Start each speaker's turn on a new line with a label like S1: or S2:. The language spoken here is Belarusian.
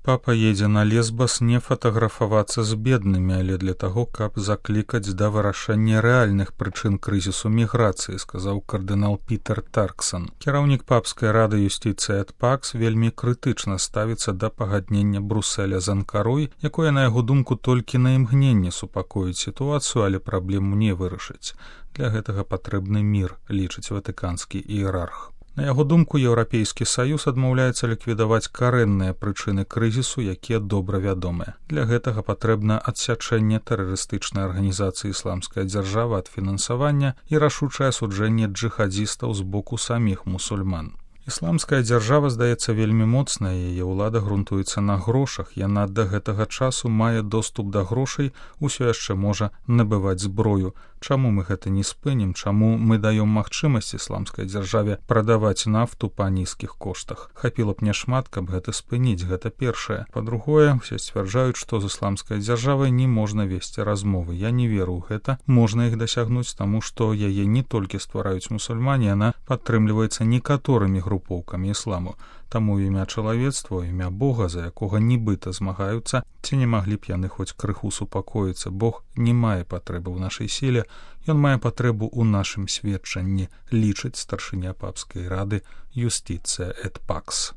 S1: Папа едзе на Лесбас не фатаграфавацца з беднымі, але для таго, каб заклікаць да вырашэння рэальных прычын крызісу міграцыі, сказаў кардынал Пітер Тарксон. Кіраўнік папскай рады юстыцыі эт пакс вельмі крытычна ставіцца да пагаднення Бруселя з Анкарой, якое, на яго думку, толькі на імгненне супакоіць сітуацыю, але праблему не вырашыць. Для гэтага патрэбны мір, лічыць ватыканскі іерарх. На яго думку, Еўрапейскі саюз адмаўляецца ліквідаваць карэнныя прычыны крызісу, якія добра вядомыя. Для гэтага патрэбна адсячэнне тэрарыстычнай арганізацыі ісламская дзяржава ад фінансавання і рашучае асуджэнне джыхадзістаў з боку саміх мусульман. Ісламская дзяржава, здаецца, вельмі моцная, яе ўлада грунтуецца на грошах, яна да гэтага часу мае доступ да грошай, усё яшчэ можа набываць зброю. Чаму мы гэта не спынім, чаму мы даём магчымасць ісламскай дзяржаве прадаваць нафту па нізкіх коштах? Хапіла б няшмат, каб гэта спыніць, гэта першае. Па-другое, усе сцвярджаюць, што з ісламскай дзяржавай не можна весці размовы. Я не веру ў гэта. Можна іх дасягнуць, таму што яе не толькі ствараюць мусульмане, яна падтрымліваецца некаторымі групоўкамі ісламу. Таму імя чалавецтва, імя Бога, за якога нібыта змагаюцца, ці не маглі б яны хоць крыху супакоіцца. Бог не мае патрэбы ў нашай сіле, ён мае патрэбу ў нашым сведчанні, лічыць старшыня папскай рады юстыцыя эт пакс.